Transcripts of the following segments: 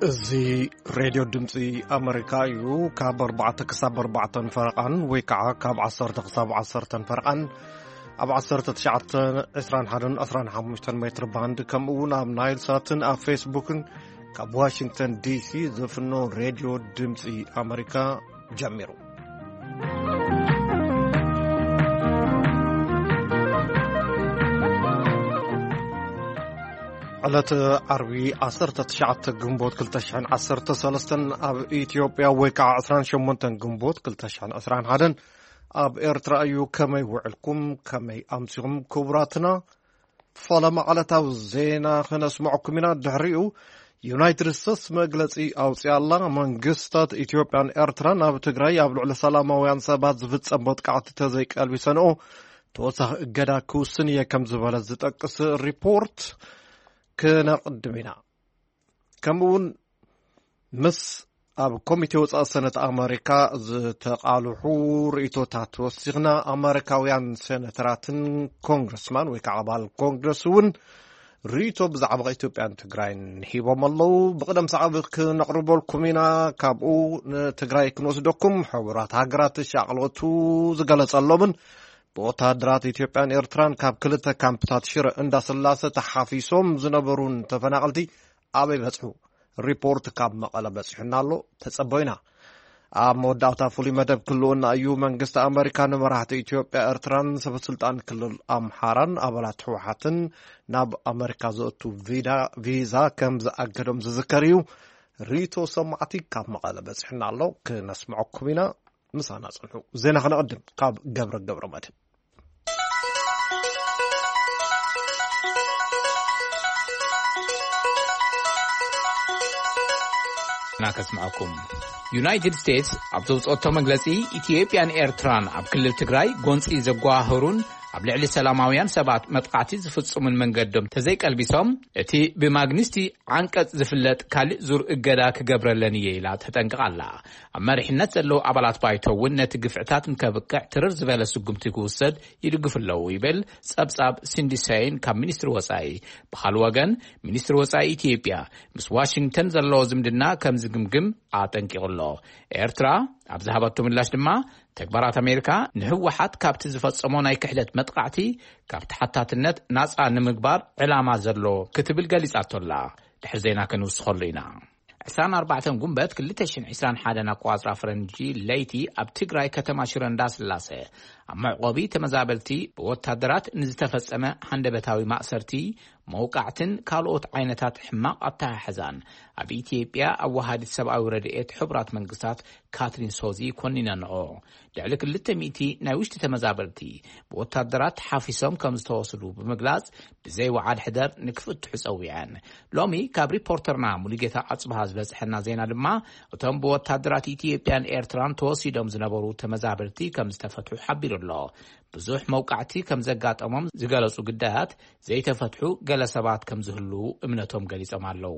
እዚ ሬድዮ ድምፂ ኣመሪካ እዩ። ካብ ኣርባዕተ ክሳብ ኣርባዕተን ፈረቓን ወይ ከዓ ካብ ዓሰርተ ክሳብ ዓሰርተን ፈረቓን ኣብ ዓሰርተ ትሽዓተ፣ ዕስራን ሓደን፣ ዕስራን ሓሙሽተን ሜትር ባንድ፣ ከምኡ እውን ኣብ ናይል ሳትን ኣብ ፌስቡክን ካብ ዋሽንግተን ዲሲ ዝፍኖ ሬድዮ ድምፂ ኣመሪካ ጀሚሩ። ዕለት ዓርቢ ዓሰርተ ትሽዓተ ግንቦት ክልተ ሽሕን ዓሰርተ ሰለስተን ኣብ ኢትዮጵያ፣ ወይ ከዓ ዕስራን ሸሞንተን ግንቦት ክልተ ሽሕን ዕስራን ሓደን ኣብ ኤርትራ እዩ። ከመይ ውዕልኩም? ከመይ ኣምሲኹም? ክቡራትና፣ ፈለማ ዕለታዊ ዜና ክነስምዐኩም ኢና። ድሕሪኡ ዩናይትድ ስቴትስ መግለጺ ኣውፅኣላ። መንግስታት ኢትዮጵያን ኤርትራን ኣብ ትግራይ ኣብ ልዕሊ ሰላማውያን ሰባት ዝፍጸም መጥቃዕቲ ተዘይቀልቢሰንኦ ተወሳኺ እገዳ ክውስን እየ ከም ዝበለ ዝጠቅስ ሪፖርት ክነቕድም ኢና። ከምኡ እውን ምስ ኣብ ኮሚቴ ወፃኢ ሰነት ኣመሪካ ዝተቓልሑ ርእይቶታት ወሲኽና፣ ኣመሪካውያን ሴነተራትን ኮንግረስማን ወይ ከዓ ኣባል ኮንግረስ እውን ርእይቶ ብዛዕባ ኢትዮጵያን ትግራይን ሂቦም ኣለዉ። ብቕደም ሰዓብ ክነቕርበልኩም ኢና። ካብኡ ንትግራይ ክንወስደኩም። ሕቡራት ሃገራት ሻቕሎቱ ዝገለጸሎምን ብወታደራት ኢትዮጵያን ኤርትራን ካብ ክልተ ካምፕታት ሽረ እንዳስላሰ ተሓፊሶም ዝነበሩን ተፈናቐልቲ ኣበይ በጽሑ? ሪፖርት ካብ መቐለ በጺሑና ኣሎ፣ ተጸበዩና። ኣብ መወዳእታ ፍሉይ መደብ ክልኡና እዩ። መንግስቲ ኣመሪካ ንመራሕቲ ኢትዮጵያ፣ ኤርትራን ሰበስልጣን ክልል ኣምሓራን ኣባላት ህወሓትን ናብ ኣመሪካ ዘእቱ ቪዳ-፣ ቪዛ ከም ዝኣገዶም ዝዝከር እዩ። ሪቶ ሰማዕቲ ካብ መቐለ በጺሑና ኣሎ፣ ክነስምዐኩም ኢና። ምሳና ጽንሑ። ዜና ከነቐድም ካብ ገብረ ገብረ መድህን። ና ከስምዐኩም። ዩናይትድ ስቴትስ ኣብ ዘውፅኦቶ መግለፂ፣ ኢትዮጵያን ኤርትራን ኣብ ክልል ትግራይ ጎንፂ ዘጓሃህሩን ኣብ ልዕሊ ሰላማውያን ሰባት መጥቃዕቲ ዝፍጽሙን መንገዶም ተዘይቀልቢሶም፣ እቲ ብማግኒስቲ ዓንቀጽ ዝፍለጥ ካልእ ዙር እገዳ ክገብረለን እየ ኢላ ተጠንቅቕ ኣላ። ኣብ መሪሕነት ዘለዉ ኣባላት ባይቶ እውን ነቲ ግፍዕታት ንከብቅዕ ትርር ዝበለ ስጉምቲ ክውሰድ ይድግፉ ኣለዉ ይብል ጸብጻብ ሲንዲ ሰይን ካብ ሚኒስትሪ ወጻኢ። ብኻልእ ወገን፣ ሚኒስትሪ ወጻኢ ኢትዮጵያ ምስ ዋሽንግተን ዘለዎ ዝምድና ከም ዝግምግም ኣጠንቂቑ ኣሎ። ኤርትራ ኣብ ዝሃበቶ ምላሽ ድማ፣ ተግባራት ኣሜሪካ ንህወሓት ካብቲ ዝፈጸሞ ናይ ክሕደት መጥቃዕቲ ካብ ተሓታትነት ናጻ ንምግባር ዕላማ ዘሎ ክትብል ገሊጻቶ ኣላ። ድሕሪ ዜና ክንውስኸሉ ኢና። ዕስራን ኣርባዕተን ጉንበት ክልተ ሽሕን ዕስራን ሓደን ኣቆጻጽራ ፈረንጂ ለይቲ ኣብ ትግራይ ከተማ ሽረ እንዳስላሰ ኣብ መዕቆቢ ተመዛበልቲ ብወታደራት ንዝተፈጸመ ሃንደበታዊ ማእሰርቲ፣ መውቃዕትን ካልኦት ዓይነታት ሕማቕ ኣተሓሕዛን ኣብ ኢትዮጵያ ኣወሃዲት ሰብኣዊ ረድኤት ሕቡራት መንግስታት ካትሪን ሶዚ ኮኒነንኦ። ልዕሊ ክልተ ሚእቲ ናይ ውሽጢ ተመዛበልቲ ብወታደራት ተሓፊሶም ከም ዝተወስዱ ብምግላጽ፣ ብዘይ ወዓል ሕደር ንክፍትሑ ጸዊዐን። ሎሚ ካብ ሪፖርተርና ሙሉጌታ ኣጽብሃ ዝበጽሐና ዜና ድማ፣ እቶም ብወታደራት ኢትዮጵያን ኤርትራን ተወሲዶም ዝነበሩ ተመዛበልቲ ከም ዝተፈትሑ ሓቢሩ ኣሎ። ብዙሕ መውቃዕቲ ከም ዘጋጠሞም ዝገለጹ ግዳያት ዘይተፈትሑ ገለ ሰባት ከም ዝህልዉ እምነቶም ገሊጾም ኣለዉ።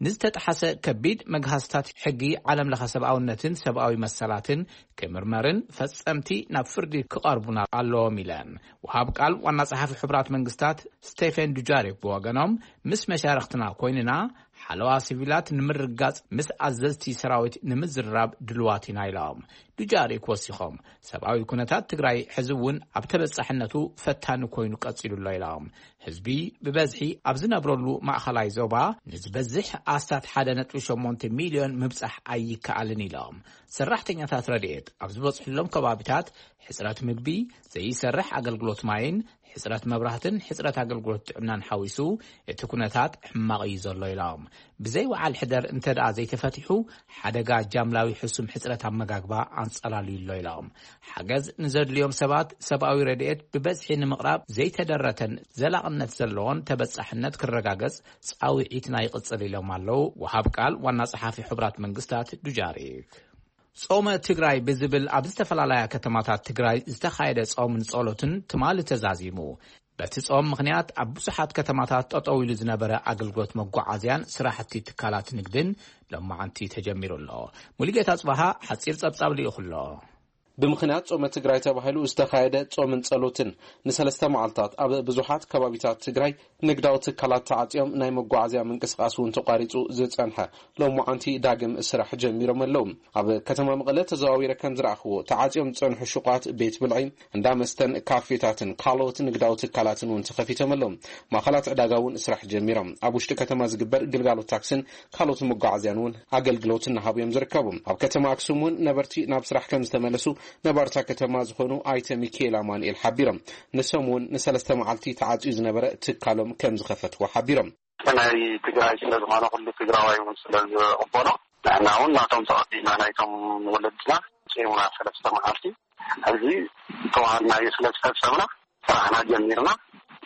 ንዝተጠሓሰ ከቢድ መግሃስታት ሕጊ ዓለም ለኸ ሰብኣውነትን ሰብኣዊ መሰላትን ክምርመርን ፈጸምቲ ናብ ፍርዲ ክቐርቡን ኣለዎም ኢለን። ወሃብ ቃል ዋና ጸሓፊ ሕቡራት መንግስታት ስቴፈን ዱጃሪክ ብወገኖም፣ ምስ መሻርኽትና ኮይንና ሓለዋ ሲቪላት ንምርጋጽ ምስ ኣዘዝቲ ሰራዊት ንምዝርራብ ድልዋት ኢና ኢሎም። ዱጃሪክ ወሲኾም፣ ሰብኣዊ ኩነታት ትግራይ ሕዚ እውን ኣብ ተበጻሕነቱ ፈታኒ ኮይኑ ቀጺሉ ኣሎ ኢሎም። ህዝቢ ብበዝሒ ኣብ ዝነብረሉ ማእኸላይ ዞባ ንዝበዝሕ ኣስታት ሓደ ነጥቢ ሸሞንተ ሚልዮን ምብጻሕ ኣይከኣልን ኢሎም። ሰራሕተኛታት ረድኤት ኣብ ዝበጽሕሎም ከባቢታት ሕጽረት ምግቢ፣ ዘይሰርሕ ኣገልግሎት ማይን ሕጽረት መብራህትን ሕጽረት ኣገልግሎት ጥዕናን ሓዊሱ እቲ ኩነታት ሕማቕ እዩ ዘሎ ኢሎም። ብዘይ ወዓል ሕደር እንተ ደኣ ዘይተፈቲሑ፣ ሓደጋ ጃምላዊ ሕሱም ሕጽረት ኣመጋግባ ኣንጸላልዩ ኣሎ ኢሎም። ሓገዝ ንዘድልዮም ሰባት ሰብኣዊ ረድኤት ብበዝሒ ንምቕራብ ዘይተደረተን ዘላቕነት ዘለዎን ተበጻሕነት ክረጋገጽ ጻውዒትና ይቕጽል ኢሎም ኣለዉ ወሃብ ቃል ዋና ጸሓፊ ሕቡራት መንግስታት ዱጃሪክ። ጾመ ትግራይ ብዝብል ኣብ ዝተፈላለያ ከተማታት ትግራይ ዝተኻየደ ጾምን ጸሎትን ትማሊ ተዛዚሙ። በቲ ጾም ምኽንያት ኣብ ብዙሓት ከተማታት ጠጠው ኢሉ ዝነበረ ኣገልግሎት መጓዓዝያን ስራሕቲ ትካላት ንግድን ሎማዓንቲ ተጀሚሩ ኣሎ። ሙሉጌታ ጽባሃ ሓጺር ጸብጻብ ልኢኹ ኣሎ። ብምኽንያት ጾመ ትግራይ ተባሂሉ ዝተኻየደ ጾምን ጸሎትን ንሰለስተ መዓልታት ኣብ ብዙሓት ከባቢታት ትግራይ ንግዳዊ ትካላት ተዓጽዮም፣ ናይ መጓዓዝያ ምንቅስቓስ እውን ተቋሪጹ ዝጸንሐ፣ ሎማዓንቲ ዳግም ስራሕ ጀሚሮም ኣለዉ። ኣብ ከተማ መቐለ ተዘዋዊረ ከም ዝረኣኽዎ፣ ተዓጽዮም ዝጸንሑ ሹቋት፣ ቤት ብልዒ፣ እንዳ መስተን ካፌታትን ካልኦት ንግዳዊ ትካላትን እውን ተኸፊቶም ኣለዉ። ማእኸላት ዕዳጋ እውን ስራሕ ጀሚሮም። ኣብ ውሽጢ ከተማ ዝግበር ግልጋሎት ታክስን ካልኦት መጓዓዝያን እውን ኣገልግሎት እናሃቡ እዮም ዝርከቡ። ኣብ ከተማ ኣክሱም እውን ነበርቲ ናብ ስራሕ ከም ዝተመለሱ ነባርታ ከተማ ዝኾኑ ኣይተ ሚካኤል ኣማኑኤል ሓቢሮም። ንሶም እውን ንሰለስተ መዓልቲ ተዓፅዩ ዝነበረ ትካሎም ከም ዝኸፈትዎ ሓቢሮም። ናይ ትግራይ ስለ ዝኾነ፣ ኩሉ ትግራዋይ እውን ስለ ዝቕበሎ፣ ንሕና እውን ናቶም ተቐቢልና፣ ናይቶም ወለድና ጽሙና ሰለስተ መዓልቲ ሕዚ ተዋሃድናዮ ስለ ዝፈጸምና፣ ስራሕና ጀሚርና፣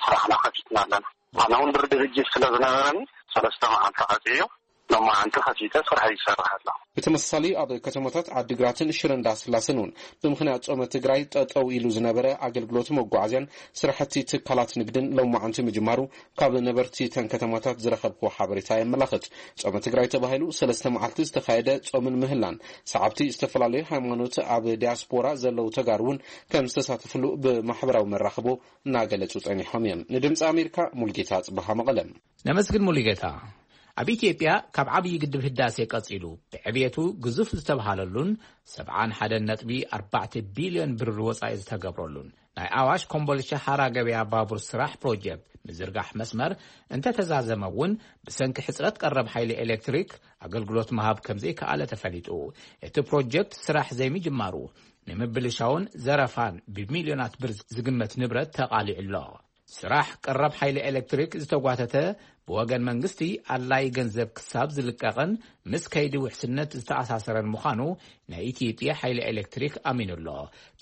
ስራሕና ከፊትና ኣለና። ኣነ እውን ድርድር እጅ ስለ ዝነበረኒ፣ ሰለስተ መዓልቲ ዓጽዮ፣ ሎማዓንቲ ከፊተ ስራሕ ይሰርሕ ኣለኹ። ብተመሳሳሊ ኣብ ከተማታት ዓዲግራትን ሽረ እንዳስላሰን እውን ብምኽንያት ጾመ ትግራይ ጠጠው ኢሉ ዝነበረ ኣገልግሎት መጓዓዝያን ስራሕቲ ትካላት ንግድን ሎማዓንቲ ምጅማሩ ካብ ነበርቲ እተን ከተማታት ዝረኸብክዎ ሓበሬታ የመላኽት። ጾመ ትግራይ ተባሂሉ ሰለስተ መዓልቲ ዝተኻየደ ጾምን ምህላን ሰዓብቲ ዝተፈላለዩ ሃይማኖት ኣብ ዲያስፖራ ዘለዉ ተጋሩ እውን ከም ዝተሳተፍሉ ብማሕበራዊ መራኽቦ እናገለጹ ጸኒሖም እዮም። ንድምፂ ኣሜሪካ ሙልጌታ ጽበሃ መቐለ። ነመስግን ሙሉጌታ። ኣብ ኢትዮጵያ ካብ ዓብዪ ግድብ ህዳሴ ቀጺሉ ብዕብየቱ ግዙፍ ዝተብሃለሉን ሰብዓን ሓደን ነጥቢ ኣርባዕተ ቢልዮን ብር ወጻኢ ዝተገብረሉን ናይ ኣዋሽ ኮምቦልቻ ሃራ ገበያ ባቡር ስራሕ ፕሮጀክት ምዝርጋሕ መስመር እንተተዛዘመ እውን፣ ብሰንኪ ሕጽረት ቀረብ ሓይሊ ኤሌክትሪክ ኣገልግሎት ምሃብ ከም ዘይከኣለ ተፈሊጡ። እቲ ፕሮጀክት ስራሕ ዘይምጅማሩ ንምብልሻውን ዘረፋን ብሚልዮናት ብር ዝግመት ንብረት ተቓሊዑ ኣሎ። ስራሕ ቀረብ ሓይሊ ኤሌክትሪክ ዝተጓተተ፣ ብወገን መንግስቲ ኣድላዪ ገንዘብ ክሳብ ዝልቀቕን ምስ ከይዲ ውሕስነት ዝተኣሳሰረን ምዃኑ ናይ ኢትዮጵያ ሓይሊ ኤሌክትሪክ ኣሚኑ ኣሎ።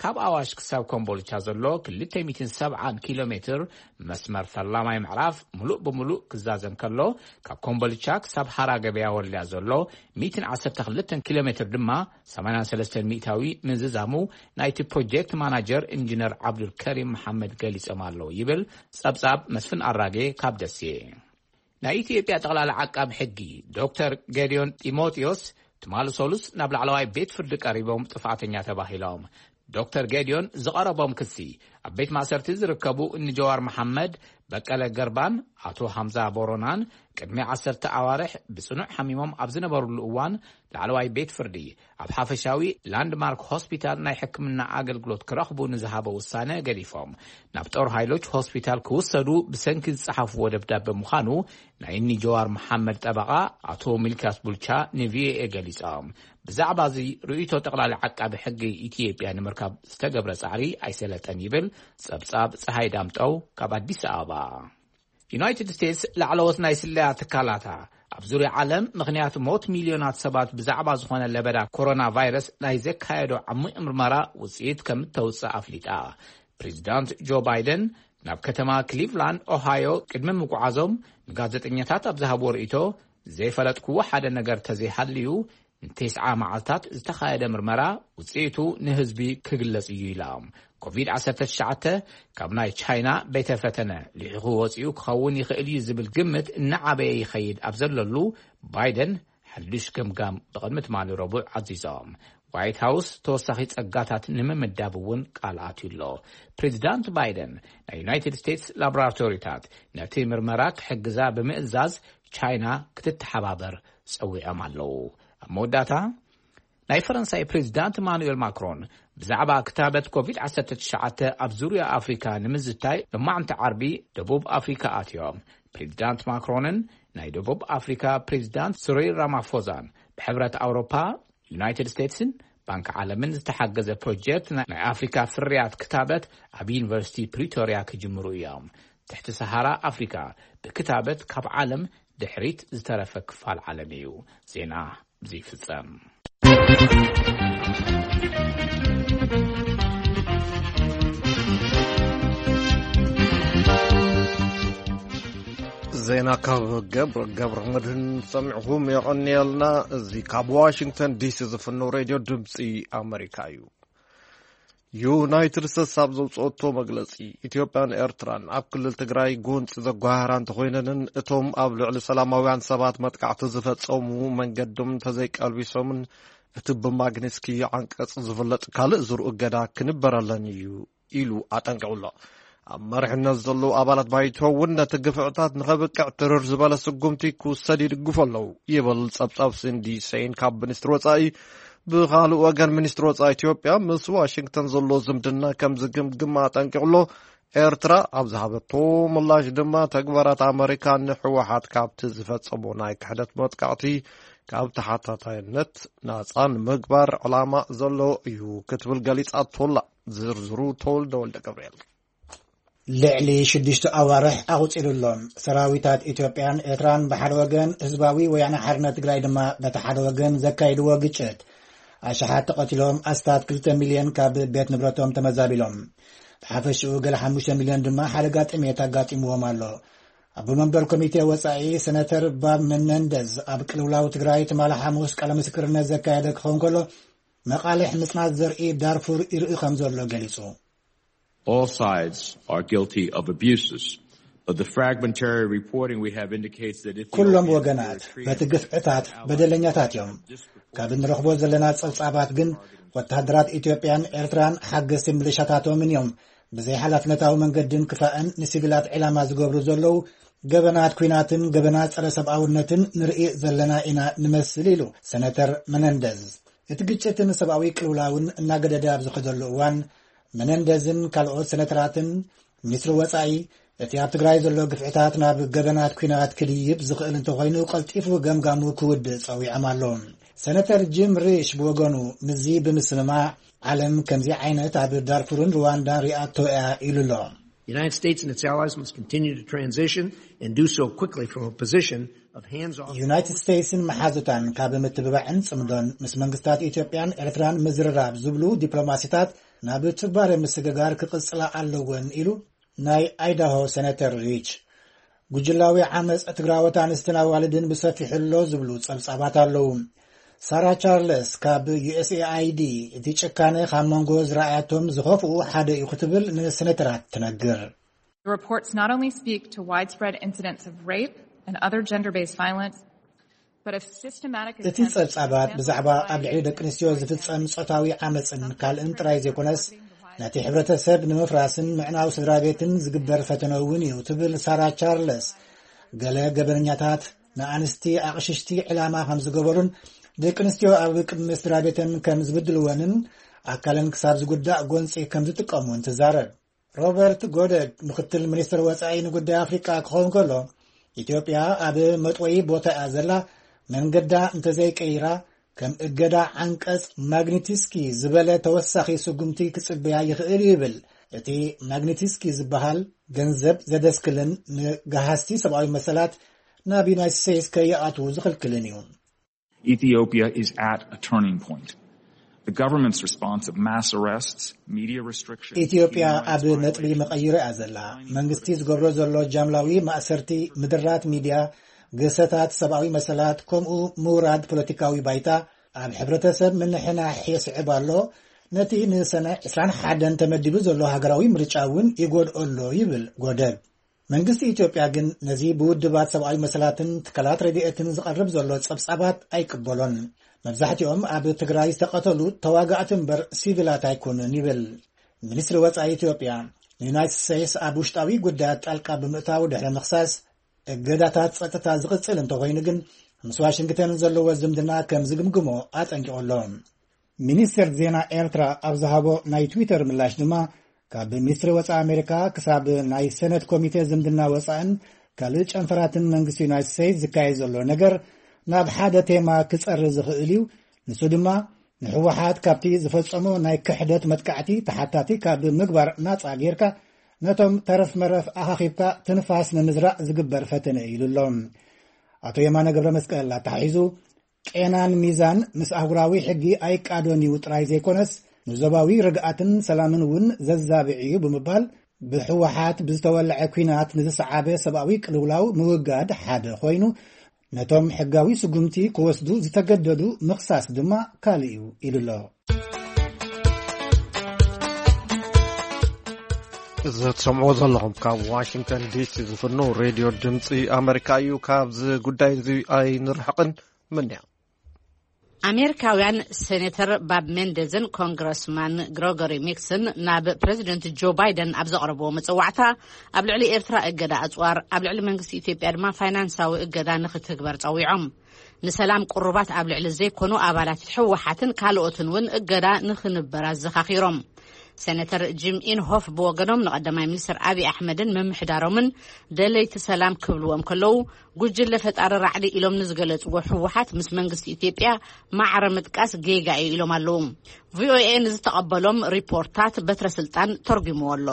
ካብ ኣዋሽ ክሳብ ኮምቦልቻ ዘሎ ክልተ ሚእትን ሰብዓን ኪሎ ሜትር መስመር ፈላማይ ምዕራፍ ምሉእ ብምሉእ ክዛዘም ከሎ፣ ካብ ኮምቦልቻ ክሳብ ሃራ ገበያ ወልድያ ዘሎ ሚእትን ዓሰርተ ክልተን ኪሎ ሜትር ድማ ሰማንያን ሰለስተን ሚእታዊ ምዝዛሙ ናይቲ ፕሮጀክት ማናጀር ኢንጂነር ዓብዱልከሪም መሓመድ ገሊጾም ኣለዉ ይብል ጸብጻብ መስፍን ኣራጌ ካብ ደሴ። ናይ ኢትዮጵያ ጠቕላሊ ዓቃቢ ሕጊ ዶክተር ጌዲዮን ጢሞቴዎስ ትማሊ ሰሉስ ናብ ላዕለዋይ ቤት ፍርዲ ቀሪቦም ጥፍኣተኛ ተባሂሎም። ዶክተር ጌዲዮን ዝቐረቦም ክሲ፣ ኣብ ቤት ማእሰርቲ ዝርከቡ እኒ ጀዋር መሓመድ፣ በቀለ ገርባን ኣቶ ሃምዛ ቦሮናን ቅድሚ ዓሰርተ ኣዋርሕ ብጽኑዕ ሓሚሞም ኣብ ዝነበሩሉ እዋን ላዕለዋይ ቤት ፍርዲ ኣብ ሓፈሻዊ ላንድማርክ ሆስፒታል ናይ ሕክምና ኣገልግሎት ክረኽቡ ንዝሃቦ ውሳነ ገዲፎም ናብ ጦር ሃይሎች ሆስፒታል ክውሰዱ ብሰንኪ ዝጸሓፍዎ ደብዳበ ምዃኑ ናይ እኒ ጀዋር መሓመድ ጠበቓ ኣቶ ሚልክያስ ቡልቻ ንቪኦኤ ገሊጾም። ብዛዕባ እዚ ርእይቶ ጠቕላሊ ዓቃቢ ሕጊ ኢትዮጵያ ንምርካብ ዝተገብረ ጻዕሪ ኣይሰለጠን ይብል ጸብጻብ ጸሃይ ዳምጠው ካብ ኣዲስ ኣበባ። ዩናይትድ ስቴትስ ላዕለዎት ናይ ስለያ ትካላታ ኣብ ዙርያ ዓለም ምኽንያት ሞት ሚልዮናት ሰባት ብዛዕባ ዝኾነ ለበዳ ኮሮና ቫይረስ ናይ ዘካየዶ ዓሚቕ ምርመራ ውጽኢት ከም እተውጽእ ኣፍሊጣ። ፕሬዚዳንት ጆ ባይደን ናብ ከተማ ክሊቭላንድ ኦሃዮ ቅድሚ ምጉዓዞም ንጋዜጠኛታት ኣብ ዝሃብዎ ርእይቶ፣ ዘይፈለጥክዎ ሓደ ነገር ተዘይሃልዩ፣ ንተስዓ መዓልታት ዝተኻየደ ምርመራ ውጽኢቱ ንህዝቢ ክግለጽ እዩ ኢላ። ኮቪድ ዓሰርተ ትሽዓተ ካብ ናይ ቻይና ቤተ ፈተነ ልሒኹ ወጺኡ ክኸውን ይኽእል እዩ ዝብል ግምት እናዓበየ ይኸይድ ኣብ ዘለሉ፣ ባይደን ሓድሽ ገምጋም ብቕድሚ ትማሊ ረቡዕ ኣዚዞም። ዋይት ሃውስ ተወሳኺ ጸጋታት ንምምዳብ እውን ቃል ኣትዩ ኣሎ። ፕሬዚዳንት ባይደን ናይ ዩናይትድ ስቴትስ ላቦራቶሪታት ነቲ ምርመራ ክሕግዛ ብምእዛዝ ቻይና ክትተሓባበር ጸዊዖም ኣለዉ። ኣብ መወዳእታ፣ ናይ ፈረንሳይ ፕሬዚዳንት ኢማኑኤል ማክሮን ብዛዕባ ክታበት ኮቪድ ዓሰርተ ትሽዓተ ኣብ ዙርያ ኣፍሪካ ንምዝታይ ሎማዕንቲ ዓርቢ ደቡብ ኣፍሪካ ኣትዮም። ፕሬዚዳንት ማክሮንን ናይ ደቡብ ኣፍሪካ ፕሬዚዳንት ስሪል ራማፎዛን ብሕብረት ኣውሮፓ፣ ዩናይትድ ስቴትስን ባንክ ዓለምን ዝተሓገዘ ፕሮጀክት ናይ ኣፍሪካ ፍርያት ክታበት ኣብ ዩኒቨርሲቲ ፕሪቶርያ ክጅምሩ እዮም። ትሕቲ ሰሃራ ኣፍሪካ ብክታበት ካብ ዓለም ድሕሪት ዝተረፈ ክፋል ዓለም እዩ። ዜና ብዚ ይፍጸም። ዜና ካብ ገብረ፣ ገብረ መድህን ሰሚዕኹም የቐንየልና። እዚ ካብ ዋሽንግተን ዲሲ ዝፍነው ሬድዮ ድምፂ ኣመሪካ እዩ። ዩናይትድ ስቴትስ ኣብ ዘውፅኦቶ መግለፂ፣ ኢትዮጵያን ኤርትራን ኣብ ክልል ትግራይ ጎንፂ ዘጓሃራ እንተኾይነንን፣ እቶም ኣብ ልዕሊ ሰላማውያን ሰባት መጥቃዕቲ ዝፈፀሙ መንገዶም እንተዘይቀልቢሶምን እቲ ብማግኒስኪ ዓንቀጽ ዝፍለጥ ካልእ ዝርኡ እገዳ ክንበረለን እዩ ኢሉ ኣጠንቂቑ ኣሎ። ኣብ መሪሕነት ዘለዉ ኣባላት ባይቶ እውን ነቲ ግፍዕታት ንኸብቅዕ ትርር ዝበለ ስጉምቲ ክውሰድ ይድግፉ ኣለዉ ይብል ጸብጻብ ሲንዲ ሰይን ካብ ሚኒስትሪ ወጻኢ። ብኻልእ ወገን ሚኒስትሪ ወጻኢ ኢትዮጵያ ምስ ዋሽንግተን ዘሎ ዝምድና ከም ዝግምግም ኣጠንቂቑ ኣሎ። ኤርትራ ኣብ ዝሃበቶ ምላሽ ድማ ተግባራት ኣመሪካ ንህወሓት ካብቲ ዝፈጸሞ ናይ ክሕደት መጥቃዕቲ ካብ ተሓታታይነት ናጻ ንምግባር ዕላማ ዘለዎ እዩ ክትብል ገሊጻቶ ኣላ። ዝርዝሩ ተወልደ ወልደ ገብርኤል። ልዕሊ ሽዱሽተ ኣዋርሕ ኣቑጺሩ ኣሎ። ሰራዊታት ኢትዮጵያን ኤርትራን ብሓደ ወገን፣ ህዝባዊ ወያነ ሓርነት ትግራይ ድማ በቲ ሓደ ወገን ዘካይድዎ ግጭት ኣሽሓት ተቐቲሎም፣ ኣስታት ክልተ ሚልዮን ካብ ቤት ንብረቶም ተመዛቢሎም። ብሓፈሽኡ ገለ ሓሙሽተ ሚልዮን ድማ ሓደጋ ጥሜት ኣጋጢምዎም ኣሎ። ኣቦ መንበር ኮሚቴ ወጻኢ ሰነተር ባብ መነንደዝ ኣብ ቅልውላው ትግራይ ትማሊ ሓሙስ ቃለ ምስክርነት ዘካየደ ክኸውን ከሎ፣ መቓልሕ ምጽናት ዘርኢ ዳርፉር ይርኢ ከም ዘሎ ገሊጹ። All sides are guilty of abuses, but the fragmentary reporting we have indicates that Ethiopia ኩሎም ወገናት በቲ ግፍዕታት በደለኛታት እዮም። ካብ እንረኽቦ ዘለና ጸብጻባት ግን፣ ወተሃደራት ኢትዮጵያን ኤርትራን ሓገዝቲ ምልሻታቶምን እዮም ብዘይ ሓላፍነታዊ መንገድን ክፋእን ንሲቪላት ዕላማ ዝገብሩ ዘለዉ ገበናት ኲናትን ገበናት ጸረ ሰብኣውነትን ንርኢ ዘለና ኢና ንመስል፣ ኢሉ ሰነተር መነንደዝ። እቲ ግጭትን ሰብኣዊ ቅልውላውን እናገደደ ኣብ ዝኸደሉ እዋን፣ መነንደዝን ካልኦት ሰነተራትን ሚኒስትሪ ወጻኢ፣ እቲ ኣብ ትግራይ ዘሎ ግፍዕታት ናብ ገበናት ኲናት ክድይብ ዝኽእል እንተኾይኑ፣ ቀልጢፉ ገምጋሙ ክውድእ ጸዊዖም ኣለዉ። ሰነተር ጂም ሪሽ ብወገኑ፣ ምስዚ ብምስምማዕ፣ ዓለም ከምዚ ዓይነት ኣብ ዳርፉርን ሩዋንዳን ሪኣቶ እያ ኢሉ ኣሎ። The United States and its allies must continue to transition and do so quickly from a position of hands-off. ዩናይትድ ስቴትስን መሓዙታን ካብ ምትብባዕን ጽምዶን ምስ መንግስታት ኢትዮጵያን ኤርትራን ምዝርራብ ዝብሉ ዲፕሎማሲታት ናብ ትባረ ምስግጋር ክቕጽላ ኣለወን ኢሉ ናይ ኣይዳሆ ሰነተር ሪች። ጉጅላዊ ዓመጽ ትግራዎት ኣንስትን ኣዋልድን ብሰፊሑ ኣሎ ዝብሉ ጸብጻባት ኣለዉ። ሳራ ቻርለስ ካብ ዩ ኤስ ኤ ኣይ ዲ፣ እቲ ጭካነ ካብ መንጎ ዝረኣያቶም ዝኸፍኡ ሓደ እዩ ክትብል ንሰነተራት ትነግር። The reports not only speak to widespread incidents of rape and other gender-based violence, but of systematic እቲ ጸብጻባት ብዛዕባ ኣብ ልዕሊ ደቂ ኣንስትዮ ዝፍጸም ጾታዊ ዓመጽን ካልእን ጥራይ ዘይኮነስ፣ ነቲ ሕብረተሰብ ንምፍራስን ምዕናው ስድራ ቤትን ዝግበር ፈተነ እውን እዩ ትብል ሳራ ቻርለስ። ገለ ገበነኛታት ንኣንስቲ ኣቕሽሽቲ ዕላማ ከም ዝገበሩን፣ ደቂ ኣንስትዮ ኣብ ቅድሚ ስድራ ቤተን ከም ዝብድልወንን፣ ኣካለን ክሳብ ዝጉዳእ ጎንጺ ከም ዝጥቀሙን ትዛረብ። ሮበርት ጎደግ፣ ምክትል ሚኒስትር ወጻኢ ንጉዳይ ኣፍሪቃ ክኸውን ከሎ፣ ኢትዮጵያ ኣብ መጥወዪ ቦታ እያ ዘላ፣ መንገዳ እንተዘይቀይራ፣ ከም እገዳ ዓንቀጽ ማግኒትስኪ ዝበለ ተወሳኺ ስጉምቲ ክጽበያ ይኽእል እዩ ይብል። እቲ ማግኒትስኪ ዝበሃል ገንዘብ ዘደስክልን ንገሃስቲ ሰብኣዊ መሰላት ናብ ዩናይትድ ስቴትስ ከይኣትዉ ዝኽልክልን እዩ። Ethiopia is at a turning point. The government's response of mass arrests, media restrictions, ኢትዮጵያ ኣብ ነጥቢ መቐይሮ እያ ዘላ። መንግስቲ ዝገብሮ ዘሎ ጃምላዊ ማእሰርቲ፣ ምድራት ሚድያ፣ ግህሰታት ሰብኣዊ መሰላት፣ ከምኡ ምውራድ ፖለቲካዊ ባይታ ኣብ ሕብረተሰብ ምንሕናሕ የስዕብ ኣሎ። ነቲ ንሰነ ዕስራን ሓደን ተመዲቡ ዘሎ ሃገራዊ ምርጫ እውን ይጎድኦ ኣሎ ይብል ጎደብ። መንግስቲ ኢትዮጵያ ግን ነዚ ብውድባት ሰብኣዊ መሰላትን ትካላት ረድኤትን ዝቐርብ ዘሎ ጸብጻባት ኣይቅበሎን። መብዛሕትኦም ኣብ ትግራይ ዝተቐተሉ ተዋጋእቲ እምበር ሲቪላት ኣይኮኑን ይብል። ሚኒስትሪ ወጻኢ ኢትዮጵያ ንዩናይትድ ስቴትስ ኣብ ውሽጣዊ ጉዳያት ጣልቃ ብምእታው ድሕሪ ምኽሳስ፣ እገዳታት ጸጥታ ዝቕጽል እንተኾይኑ ግን ምስ ዋሽንግተን ዘለዎ ዝምድና ከም ዝግምግሞ ኣጠንቂቑ ኣሎ። ሚኒስቴር ዜና ኤርትራ ኣብ ዝሃቦ ናይ ትዊተር ምላሽ ድማ፣ ካብ ሚኒስትሪ ወጻኢ ኣሜሪካ ክሳብ ናይ ሰነት ኮሚቴ ዝምድና ወጻእን ካልእ ጨንፈራትን መንግስቲ ዩናይትድ ስቴትስ ዝካየድ ዘሎ ነገር ናብ ሓደ ቴማ ክጸሪ ዝኽእል እዩ። ንሱ ድማ ንህወሓት ካብቲ ዝፈጸሞ ናይ ክሕደት መጥቃዕቲ ተሓታቲ ካብ ምግባር ናጻ ጌርካ፣ ነቶም ተረፍ መረፍ ኣኻኺብካ ትንፋስ ንምዝራእ ዝግበር ፈተነ እዩ ኢሉ ኣሎ። ኣቶ የማነ ገብረ መስቀል ኣተሓሒዙ፣ ቄናን ሚዛን ምስ ኣህጉራዊ ሕጊ ኣይቃዶን እዩ ጥራይ ዘይኮነስ፣ ንዞባዊ ርግኣትን ሰላምን እውን ዘዛብዕ እዩ ብምባል፣ ብህወሓት ብዝተወልዐ ኲናት ንዝሰዓበ ሰብኣዊ ቅልውላው ምውጋድ ሓደ ኮይኑ፣ ነቶም ሕጋዊ ስጉምቲ ክወስዱ ዝተገደዱ ምኽሳስ ድማ ካልእ እዩ ኢሉ ኣሎ። እዚ ትሰምዕዎ ዘለኹም ካብ ዋሽንግተን ዲሲ ዝፍኖ ሬድዮ ድምፂ ኣመሪካ እዩ። ካብዚ ጉዳይ እዚ ኣይንርሕቕን። ምንያ ኣሜሪካውያን ሴኔተር ባብ ሜንደዝን ኮንግረስማን ግሮጎሪ ሚክስን ናብ ፕሬዚደንት ጆ ባይደን ኣብ ዘቕረብዎ መጸዋዕታ፣ ኣብ ልዕሊ ኤርትራ እገዳ ኣጽዋር፣ ኣብ ልዕሊ መንግስቲ ኢትዮጵያ ድማ ፋይናንሳዊ እገዳ ንኽትግበር ጸዊዖም። ንሰላም ቅሩባት ኣብ ልዕሊ ዘይኮኑ ኣባላት ህወሓትን ካልኦትን እውን እገዳ ንኽንበር ኣዘኻኺሮም። ሴነተር ጂም ኢንሆፍ ብወገኖም፣ ንቐዳማይ ሚኒስትር ኣብይ ኣሕመድን ምምሕዳሮምን ደለይቲ ሰላም ክብልዎም ከለዉ፣ ጉጅለ ፈጣሪ ራዕዲ ኢሎም ንዝገለጽዎ ህወሓት ምስ መንግስቲ ኢትዮጵያ ማዕረ ምጥቃስ ጌጋ እዩ ኢሎም ኣለዉ። ቪኦኤ ንዝተቐበሎም ሪፖርታት በትረ ስልጣን ተርጉምዎ ኣሎ።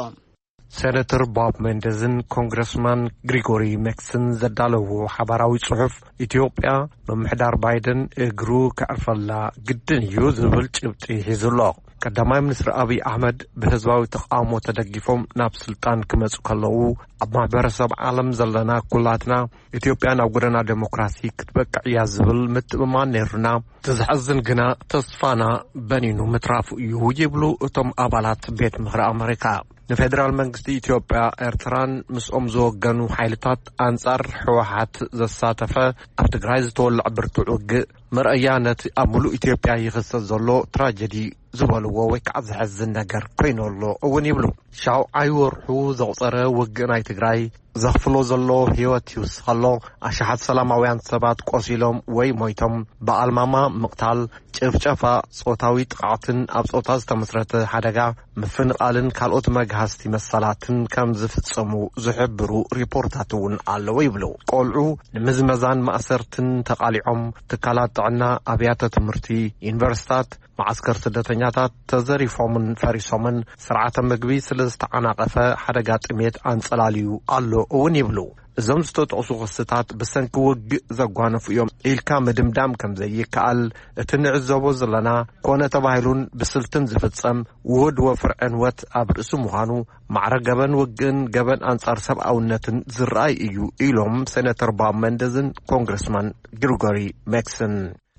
ሴነተር ቦብ ሜንደዝን ኮንግረስማን ግሪጎሪ ሜክስን ዘዳለዎ ሓባራዊ ጽሑፍ፣ ኢትዮጵያ ምምሕዳር ባይደን እግሩ ከዕርፈላ ግድን እዩ ዝብል ጭብጢ ሒዙ ኣሎ። ቀዳማይ ሚኒስትር ኣብይ ኣሕመድ ብህዝባዊ ተቓውሞ ተደጊፎም ናብ ስልጣን ክመጹ ከለዉ፣ ኣብ ማሕበረሰብ ዓለም ዘለና ኩላትና፣ ኢትዮጵያ ናብ ጎደና ዴሞክራሲ ክትበቅዕ እያ ዝብል ምትእምማን ነይሩና። እቲ ዘሕዝን ግና፣ ተስፋና በኒኑ ምትራፉ እዩ ይብሉ እቶም ኣባላት ቤት ምኽሪ ኣመሪካ። ንፌደራል መንግስቲ ኢትዮጵያ፣ ኤርትራን ምስኦም ዝወገኑ ሓይልታት ኣንጻር ህወሓት ዘሳተፈ ኣብ ትግራይ ዝተወልዐ ብርቱዕ ውግእ መርኣያ ነቲ ኣብ ሙሉእ ኢትዮጵያ ይኽሰት ዘሎ ትራጀዲ ዝበልዎ ወይ ከዓ ዘሕዝን ነገር ኮይኑ ኣሎ እውን ይብሉ። ሻውዓይ ወርሑ ዘቑጸረ ውግእ ናይ ትግራይ ዘኽፍሎ ዘሎ ህይወት ይውስኸ ኣሎ። ኣሽሓት ሰላማውያን ሰባት ቆሲሎም ወይ ሞይቶም፣ ብኣልማማ ምቕታል፣ ጭፍጨፋ፣ ጾታዊ ጥቕዓትን ኣብ ጾታ ዝተመስረተ ሓደጋ ምፍንቓልን ካልኦት መግሃስቲ መሰላትን ከም ዝፍጸሙ ዝሕብሩ ሪፖርታት እውን ኣለዉ ይብሉ። ቆልዑ ንምዝመዛን ማእሰርትን ተቓሊዖም፣ ትካላት ጥዕና፣ ኣብያተ ትምህርቲ፣ ዩኒቨርሲታት፣ መዓስከር ስደተኛታት ተዘሪፎምን ፈሪሶምን፣ ስርዓተ ምግቢ ስለ ዝተዓናቐፈ ሓደጋ ጥሜት ኣንጸላልዩ ኣሎ እውን ይብሉ። እዞም ዝተጠቕሱ ክስታት ብሰንኪ ውግእ ዘጓነፉ እዮም ኢልካ ምድምዳም ከም ዘይከኣል፣ እቲ ንዕዘቦ ዘለና ኮነ ተባሂሉን ብስልትን ዝፍጸም ውሁድ ወፍሪ ዕንወት ኣብ ርእሲ ምዃኑ፣ ማዕረ ገበን ውግእን ገበን ኣንጻር ሰብኣውነትን ዝረኣይ እዩ ኢሎም ሴነተር ቦብ ሜንደዝን ኮንግረስማን ግሪጎሪ ሜክስን።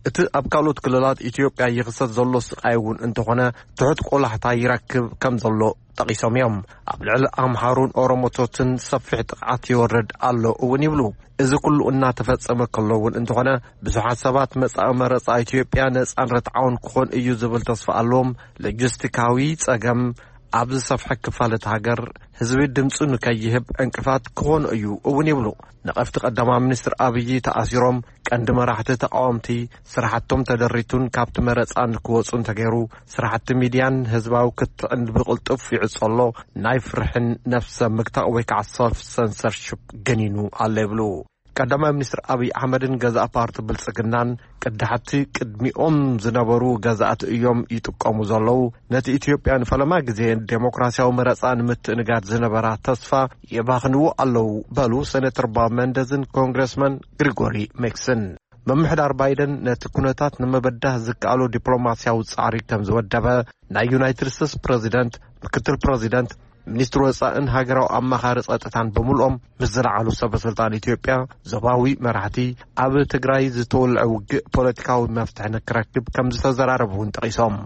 እቲ ኣብ ካልኦት ክልላት ኢትዮጵያ ይኽሰት ዘሎ ስቓይ እውን እንተኾነ፣ ትሑት ቆላሕታ ይረክብ ከም ዘሎ ጠቒሶም እዮም። ኣብ ልዕሊ ኣምሓሩን ኦሮሞቶትን ሰፊሕ ጥቕዓት ይወርድ ኣሎ እውን ይብሉ። እዚ ኩሉ እናተፈጸመ ከሎ እውን እንተኾነ፣ ብዙሓት ሰባት መጻኢ መረጻ ኢትዮጵያ ነጻን ርትዓውን ክኾን እዩ ዝብል ተስፋ ኣለዎም። ሎጂስቲካዊ ጸገም ኣብ ዝሰፍሐ ክፋል እቲ ሃገር፣ ህዝቢ ድምጹ ንከይህብ ዕንቅፋት ክኾን እዩ እውን ይብሉ። ነቐፍቲ ቀዳማይ ሚኒስትር ኣብይ ተኣሲሮም፣ ቀንዲ መራሕቲ ተቃወምቲ ስራሕቶም ተደሪቱን ካብቲ መረጻ ንክወጹ እንተገይሩ፣ ስራሕቲ ሚድያን ህዝባዊ ክትዕን ብቕልጡፍ ይዕጾ ኣሎ። ናይ ፍርሕን ነፍሰ ምግታእ ወይ ከዓ ሰልፍ ሰንሰርሽፕ ገኒኑ ኣሎ ይብሉ። ቀዳማይ ሚኒስትር ኣብይ ኣሕመድን ገዛእ ፓርቲ ብልጽግናን ቅዳሕቲ ቅድሚኦም ዝነበሩ ገዛእቲ እዮም ይጥቀሙ ዘለዉ። ነቲ ኢትዮጵያ ንፈለማ ግዜ ዴሞክራሲያዊ መረጻ ንምትእንጋድ ዝነበራ ተስፋ የባኽንዎ ኣለዉ በሉ ሴነተር ቦብ ሜንደዝን ኮንግረስማን ግሪጎሪ ሜክስን። ምምሕዳር ባይደን ነቲ ኩነታት ንምብዳህ ዝከኣሎ ዲፕሎማሲያዊ ጻዕሪ ከም ዝወደበ ናይ ዩናይትድ ስቴትስ ፕረዚደንት፣ ምክትል ፕረዚደንት፣ ሚኒስትሪ ወጻእን ሃገራዊ ኣማኻሪ ጸጥታን ብምልኦም ምስ ዝለዓሉ ሰበ ስልጣን ኢትዮጵያ፣ ዞባዊ መራሕቲ፣ ኣብ ትግራይ ዝተወልዐ ውግእ ፖለቲካዊ መፍትሒ ንክረክብ ከም ዝተዘራረቡ እውን ጠቒሶም።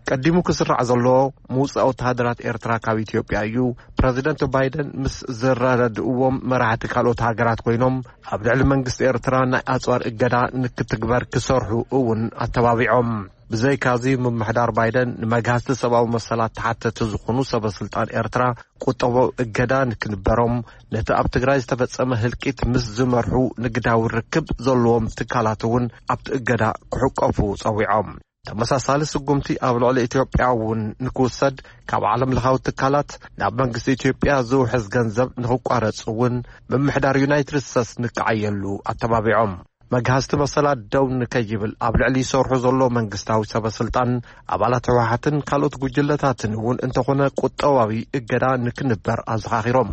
ቀዲሙ ክስራዕ ዘለዎ ምውጻእ ወተሃደራት ኤርትራ ካብ ኢትዮጵያ እዩ። ፕረዚደንት ባይደን ምስ ዘረዳድእዎም መራሕቲ ካልኦት ሃገራት ኮይኖም ኣብ ልዕሊ መንግስቲ ኤርትራ ናይ ኣጽዋር እገዳ ንክትግበር ክሰርሑ እውን ኣተባቢዖም። ብዘይካዚ ምምሕዳር ባይደን ንመግሃስቲ ሰብኣዊ መሰላት ተሓተቲ ዝኾኑ ሰበ ስልጣን ኤርትራ ቁጠባዊ እገዳ ንክንበሮም፣ ነቲ ኣብ ትግራይ ዝተፈጸመ ህልቂት ምስ ዝመርሑ ንግዳዊ ርክብ ዘለዎም ትካላት እውን ኣብቲ እገዳ ክሕቀፉ ጸዊዖም። ተመሳሳሊ ስጉምቲ ኣብ ልዕሊ ኢትዮጵያ እውን ንክውሰድ፣ ካብ ዓለም ለኻዊ ትካላት ናብ መንግስቲ ኢትዮጵያ ዝውሕዝ ገንዘብ ንክቋረጽ እውን ምምሕዳር ዩናይትድ ስቴትስ ንክዓየሉ ኣተባቢዖም። መግሃስቲ መሰላት ደው ንከይብል ኣብ ልዕሊ ይሰርሑ ዘሎ መንግስታዊ ሰበ ስልጣን፣ ኣባላት ህወሓትን ካልኦት ጉጅለታትን እውን እንተኾነ ቁጠባዊ እገዳ ንክንበር ኣዘኻኺሮም።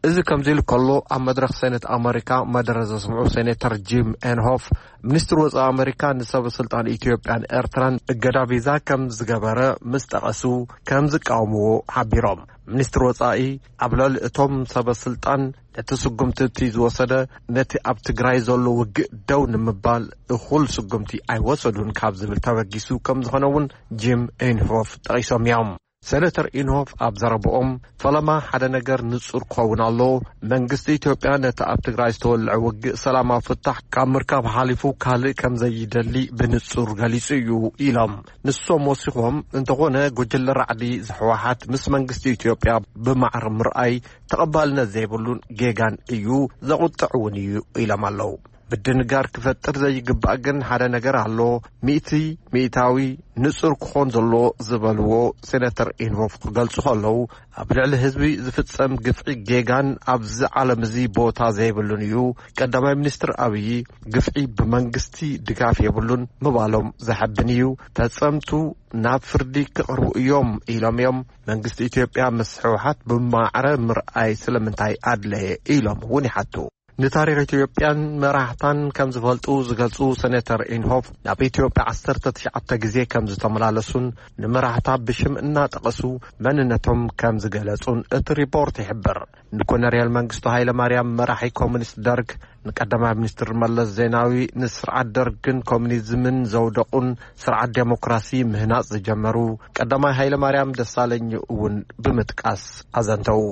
እዚ ከምዚ ኢሉ ከሎ፣ ኣብ መድረኽ ሴኔት ኣመሪካ መደረ ዘስምዑ ሴኔተር ጂም ኤንሆፍ፣ ሚኒስትሪ ወጻኢ ኣመሪካ ንሰበ ስልጣን ኢትዮጵያን ኤርትራን እገዳ ቪዛ ከም ዝገበረ ምስ ጠቐሱ፣ ከም ዝቃወምዎ ሓቢሮም። ሚኒስትሪ ወጻኢ ኣብ ልዕሊ እቶም ሰበ ስልጣን ነቲ ስጉምቲ እቲ ዝወሰደ፣ ነቲ ኣብ ትግራይ ዘሎ ውግእ ደው ንምባል እኹል ስጉምቲ ኣይወሰዱን ካብ ዝብል ተበጊሱ ከም ዝኾነ እውን ጂም ኤንሆፍ ጠቒሶም እዮም። ሴነተር ኢንሆፍ ኣብ ዘረብኦም፣ ፈለማ ሓደ ነገር ንጹር ክኸውን ኣለዎ። መንግስቲ ኢትዮጵያ ነቲ ኣብ ትግራይ ዝተወልዐ ውግእ ሰላማዊ ፍታሕ ካብ ምርካብ ሓሊፉ ካልእ ከም ዘይደሊ ብንጹር ገሊጹ እዩ ኢሎም። ንሶም ወሲኾም፣ እንተኾነ ጉጅለ ራዕዲ ህወሓት ምስ መንግስቲ ኢትዮጵያ ብማዕረ ምርኣይ ተቐባልነት ዘይብሉን ጌጋን እዩ፣ ዘቑጥዕ እውን እዩ ኢሎም ኣለዉ። ምድንጋር ክፈጥር ዘይግባእ ግን ሓደ ነገር ኣሎ። ሚእቲ ሚእታዊ ንጹር ክኾን ዘለዎ ዝበልዎ ሴነተር ኢንሆፍ ክገልጹ ከለዉ፣ ኣብ ልዕሊ ህዝቢ ዝፍጸም ግፍዒ ጌጋን ኣብዚ ዓለም እዚ ቦታ ዘይብሉን እዩ። ቀዳማይ ሚኒስትር ኣብዪ ግፍዒ ብመንግስቲ ድጋፍ የብሉን ምባሎም ዘሐብን እዩ። ፈጸምቱ ናብ ፍርዲ ክቐርቡ እዮም ኢሎም እዮም። መንግስቲ ኢትዮጵያ ምስ ህወሓት ብማዕረ ምርኣይ ስለምንታይ ኣድለየ ኢሎም እውን ይሓቱ። ንታሪኽ ኢትዮጵያን መራሕታን ከም ዝፈልጡ ዝገልጹ ሴኔተር ኢንሆፍ፣ ናብ ኢትዮጵያ ዓሰርተ ትሽዓተ ግዜ ከም ዝተመላለሱን ንመራሕታ ብሽም እናጠቐሱ መንነቶም ከም ዝገለጹን እቲ ሪፖርት ይሕብር። ንኮነርያል መንግስቱ ሃይለማርያም መራሒ ኮሙኒስት ደርግ፣ ንቀዳማይ ሚኒስትር መለስ ዜናዊ፣ ንስርዓት ደርግን ኮሙኒዝምን ዘውደቑን ስርዓት ዴሞክራሲ ምህናጽ ዝጀመሩ ቀዳማይ ሃይለማርያም ደሳለኝ እውን ብምጥቃስ ኣዘንተዉ።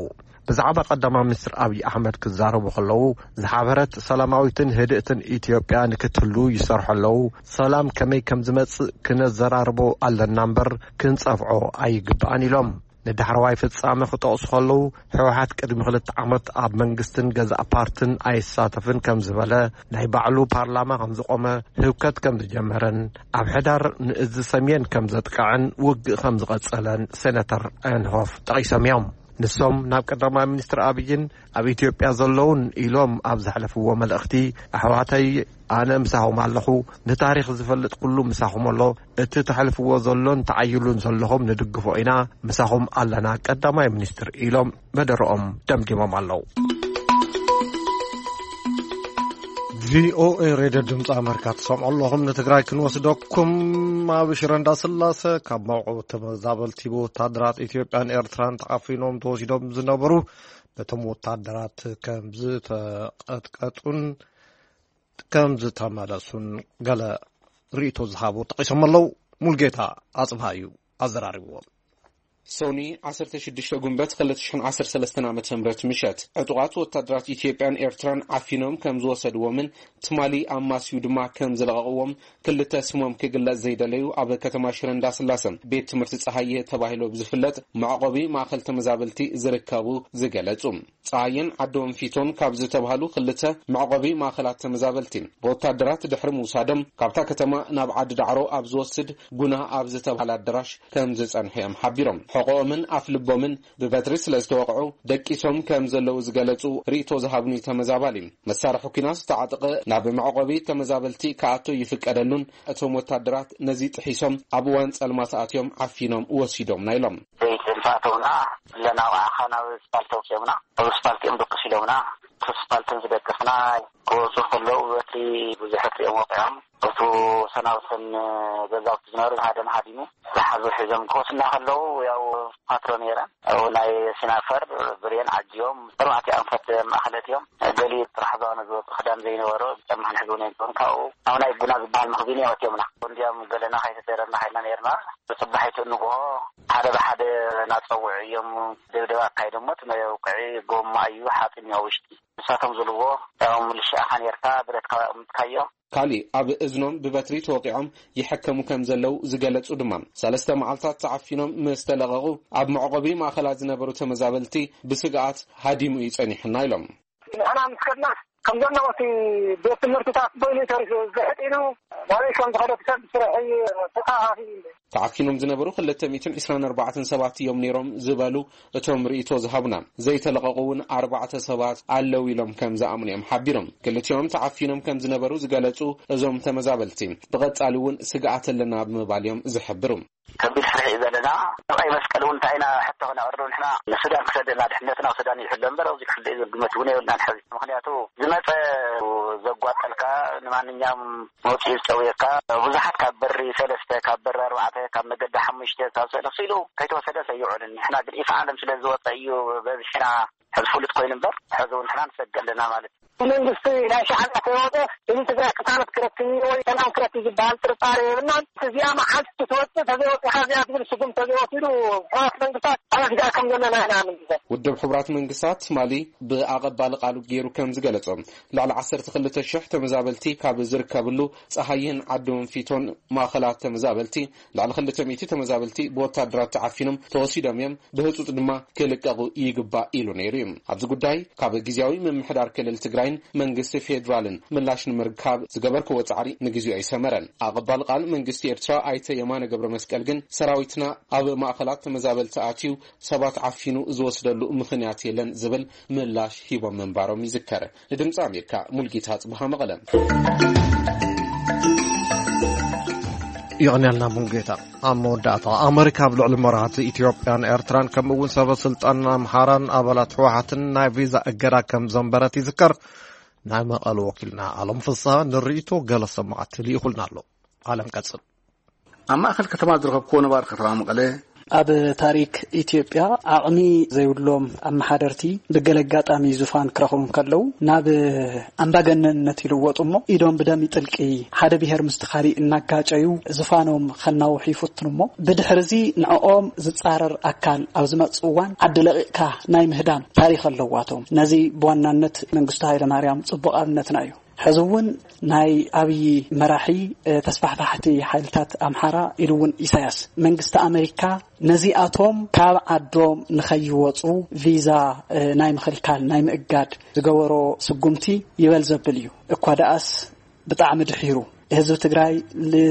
ብዛዕባ ቀዳማይ ሚኒስትር ኣብይ ኣሕመድ ክዛረቡ ከለዉ፣ ዝሓበረት ሰላማዊትን ህድእትን ኢትዮጵያ ንክትህሉ ይሰርሑ ኣለዉ። ሰላም ከመይ ከም ዝመጽእ ክነዘራርቦ ኣለና እምበር ክንጸፍዖ ኣይግባእን ኢሎም። ንዳሕረዋይ ፍጻመ ክጠቕሱ ከለዉ፣ ህወሓት ቅድሚ ክልተ ዓመት ኣብ መንግስትን ገዛእ ፓርትን ኣይሳተፍን ከም ዝበለ፣ ናይ ባዕሉ ፓርላማ ከም ዝቖመ፣ ህውከት ከም ዝጀመረን ኣብ ሕዳር ንእዚ ሰሜን ከም ዘጥቅዐን ውግእ ከም ዝቐጸለን ሴነተር ኤንሆፍ ጠቒሶም እዮም። ንሶም ናብ ቀዳማይ ሚኒስትር ኣብይን ኣብ ኢትዮጵያ ዘለውን ኢሎም ኣብ ዘሕለፍዎ መልእኽቲ፣ ኣሕዋተይ፣ ኣነ ምሳኹም ኣለኹ፣ ንታሪኽ ዝፈልጥ ኩሉ ምሳኹም ኣሎ፣ እቲ ተሕልፍዎ ዘሎን ተዓይሉን ዘለኹም ንድግፎ ኢና፣ ምሳኹም ኣለና ቀዳማይ ሚኒስትር ኢሎም መደረኦም ደምዲሞም ኣለዉ። ቪኦኤ ሬድዮ ድምፂ ኣመሪካ ትሰምዑ ኣለኹም። ንትግራይ ክንወስደኩም። ኣብ ሽረ እንዳስላሰ ካብ መዕቆቢ ተመዛበልቲ ብወታደራት ኢትዮጵያን ኤርትራን ተዓፊኖም ተወሲዶም ዝነበሩ፣ ነቶም ወታደራት ከም ዝተቐጥቀጡን ከም ዝተመለሱን ገለ ርእይቶ ዝሃቡ ጠቒሶም ኣለዉ። ሙልጌታ ኣጽብሃ እዩ ኣዘራሪብዎም። ሶኒ ዓሰርተ ሽዱሽተ ጉንበት ክልተ ሽሕን ዓሰርተ ሰለስተን ዓመተ ምህረት ምሸት፣ ዕጡቓት ወታደራት ኢትዮጵያን ኤርትራን ዓፊኖም ከም ዝወሰድዎምን ትማሊ ኣማስዩ ድማ ከም ዝለቐቕዎም ክልተ ስሞም ክግለጽ ዘይደለዩ ኣብ ከተማ ሽረ እንዳስላሰ ቤት ትምህርቲ ጸሃየ ተባሂሉ ብዝፍለጥ መዕቆቢ ማእከል ተመዛበልቲ ዝርከቡ ዝገለጹ። ጸሃየን ዓዲ ወንፊቶን ካብ ዝተባህሉ ክልተ መዕቆቢ ማእከላት ተመዛበልቲ ብወታደራት ድሕሪ ምውሳዶም፣ ካብታ ከተማ ናብ ዓዲ ዳዕሮ ኣብ ዝወስድ ጉና ኣብ ዝተባህለ ኣዳራሽ ከም ዝጸንሑ እዮም ሓቢሮም። ሕቖኦምን ኣፍ ልቦምን ብበትሪ ስለ ዝተወቕዑ ደቂሶም ከም ዘለዉ ዝገለጹ ርእይቶ ዝሃብኒ ተመዛባሊ፣ መሳርሒ ኲናት ዝተዓጠቐ ናብ መዕቆቢ ተመዛበልቲ ክኣቱ ይፍቀደሉን፣ እቶም ወታደራት ነዚ ጥሒሶም ኣብ እዋን ጸልማት ኣትዮም ዓፊኖም ወሲዶምና ኢሎም። ዘይትንፋእተውና፣ ለናውዓኻ ናብ ስፓልት ኣውፅኦምና። ኣብ ስፓልት እዮም ደቅስ ኢሎምና። እቲ ስፓልትን ዝደቅስና ክወፁ ከለዉ በቲ ብዙሕ እዮም ወቂዖም። እቱ ሰናብትን ገዛውቲ ዝነበሩ ሃደም ሃዲሙ ዝሓዙ ሒዞም ክወስና ከለዉ ያው ፓትሮ ነይረን። ኣብኡ ናይ ሲናፈር ብሬን ዓጅዮም ኣርባዕተ ኣንፈት ማእኸለት እዮም። ገሊ ጥራሕ ዝባኑ ዝወፁ ክዳን ዘይነበሮ ጫማ ክንሕዝ እውን የንክውን። ካብኡ ኣብ ናይ ጉና ዝበሃል መኽዚን እዮም ኣትዮምና። እንዲያም ገለና ከይተደረና ኸይና ነይርና። ብፅባሒቱ ንግሆ ሓደ ብሓደ እናፀውዑ እዮም ደብደባ ኣካይዶሞ። እቲ መውቅዒ ጎማ እዩ ሓፂን እዩ ኣብ ውሽጢ። ንሳቶም ዝብልዎ ያው ምልሻኻ ነይርካ ብረትካ ኣቕምጥካዮ። ካሊእ ኣብ እዝኖም ብበትሪ ተወቂዖም ይሕከሙ ከም ዘለዉ ዝገለጹ ድማ፣ ሰለስተ መዓልታት ተዓፊኖም ምስ ተለቐቑ ኣብ መዕቆቢ ማእከላት ዝነበሩ ተመዛበልቲ ብስግኣት ሃዲሙ እዩ ጸኒሑና ኢሎም። ንሕና ምስ ከድና ከም ዘለዉ እቲ ቤት ትምህርትታት በይኑ ተሪፉ ዝሕጥ ኢሉ ናበይ ከም ዝኸደ ሰብ ስራሕ እዩ ተተኣኻኺቡ። ተዓፊኖም ዝነበሩ ክልተ ሚእትን ዕስራን ኣርባዕተን ሰባት እዮም ነይሮም ዝበሉ እቶም ርእይቶ ዝሃቡና፣ ዘይተለቐቑ እውን ኣርባዕተ ሰባት ኣለዉ ኢሎም ከም ዝኣምኑ እዮም ሓቢሮም። ክልቲኦም ተዓፊኖም ከም ዝነበሩ ዝገለጹ እዞም ተመዛበልቲ፣ ብቐጻሊ እውን ስግኣት ኣለና ብምባል እዮም ዝሕብሩ። ከቢድ ፍርሒ እዩ ዘለና። ቀይ መስቀል እውን እንታይ ኢና ሕቶ ክነቕርብ ንሕና ንሱዳን ክሰደና፣ ድሕነትና ኣብ ሱዳን ይሕሎ እምበር ኣብዚ ክፍለ እዩ ዝብል ግመት እውን የብልናን ሕዚ። ምኽንያቱ ዝመጸ ዘጓጠልካ ንማንኛውም መውጽኢ ዝጨውየካ ብዙሓት ካብ በሪ ሰለስተ፣ ካብ በሪ ኣርባዕተ፣ ካብ መገዲ ሓሙሽተ፣ ካብ ሰለስተ ኢሉ ከይተወሰደ ሰይዑን። ንሕና ግን ኢፍ ዓለም ስለ ዝወጸ እዩ በዝሕና ሕዚ ፍሉጥ ኮይኑ እምበር፣ ሕዚ እውን ንሕና ንሰግእ ኣለና ማለት እዩ። መንግስቲ ናይ ሻዕብያ ከይወፀ እዚ ትግራይ ቅሳነት ክረክብ ወይ ሰላም ክረክብ ዝበሃል ጥርጣሬ የብልናን። እዚኣ መዓልቲ ክትወፅእ ተዘይወፂኻ እዚኣ ትብል ስጉም ተዘይወሲዱ፣ ሕዋት መንግስታት ኣብ ስጋር ከም ዘለና ኢና ንግዘብ። ውድብ ሕቡራት መንግስታት ትማሊ ብኣቐባሊ ቃሉ ገይሩ ከም ዝገለጾ፣ ልዕሊ ዓሰርተ ክልተ ሽሕ ተመዛበልቲ ካብ ዝርከብሉ ጸሃይን ዓዲ ወንፊቶን ማእኸላት ተመዛበልቲ፣ ልዕሊ ክልተ ሚእቲ ተመዛበልቲ ብወታደራት ተዓፊኖም ተወሲዶም እዮም፣ ብህጹጽ ድማ ክልቀቑ ይግባእ ኢሉ ነይሩ እዩ። ኣብዚ ጉዳይ ካብ ግዝያዊ ምምሕዳር ክልል ትግራይን መንግስቲ ፌዴራልን ምላሽ ንምርካብ ዝገበርክዎ ጻዕሪ ንግዜኡ ኣይሰመረን። ኣቐባል ቃል መንግስቲ ኤርትራ ኣይተ የማነ ገብረ መስቀል ግን ሰራዊትና ኣብ ማእኸላት ተመዛበልቲ ኣትዩ ሰባት ዓፊኑ ዝወስደሉ ምኽንያት የለን ዝብል ምላሽ ሂቦም ምንባሮም ይዝከር። ንድምፂ ኣሜሪካ ሙልጌታ ጽብሃ መቐለ። ይቕንያልና ሙሉጌታ። ኣብ መወዳእታ፣ ኣመሪካ ኣብ ልዕሊ መራሕቲ ኢትዮጵያን ኤርትራን ከምኡ እውን ሰበ ስልጣን ኣምሓራን ኣባላት ህወሓትን ናይ ቪዛ እገዳ ከም ዘንበረት ይዝከር። ናይ መቐለ ወኪልና ኣለም ፍስሃ ንርእይቶ ገለ ሰማዕቲ ልኢኹልና ኣሎ። ኣለም ቀጽል። ኣብ ማእከል ከተማ ዝረኸብክዎ ነባሪ ከተማ መቐለ። ኣብ ታሪክ ኢትዮጵያ ዓቕሚ ዘይብሎም ኣመሓደርቲ ብገለ ኣጋጣሚ ዙፋን ክረኽቡ እንከለዉ ናብ ኣምባገነንነት ይልወጡ እሞ ኢዶም ብደም ይጥልቂ፣ ሓደ ብሄር ምስቲ ካሊእ እናጋጨዩ ዙፋኖም ከናውሑ ይፍትኑ እሞ ብድሕሪ እዚ ንዕኦም ዝጻረር ኣካል ኣብ ዝመጽእ እዋን ዓዲ ለቒቕካ ናይ ምህዳም ታሪኽ ኣለዋቶም። ነዚ ብዋናነት መንግስቱ ሃይለማርያም ጽቡቕ ኣብነትና እዩ። ሕዚ እውን ናይ ኣብዪ መራሒ፣ እ፣ ተስፋሕፋሕቲ ሓይልታት ኣምሓራ ኢሉ እውን ኢሳያስ መንግስቲ ኣመሪካ ነዚኣቶም ካብ ዓዶም ንኸይወፁ ቪዛ፣ እ፣ ናይ ምኽልካል ናይ ምእጋድ ዝገበሮ ስጉምቲ ይበል ዘብል እዩ። እኳ ደኣስ ብጣዕሚ ድሒሩ ህዝቢ ትግራይ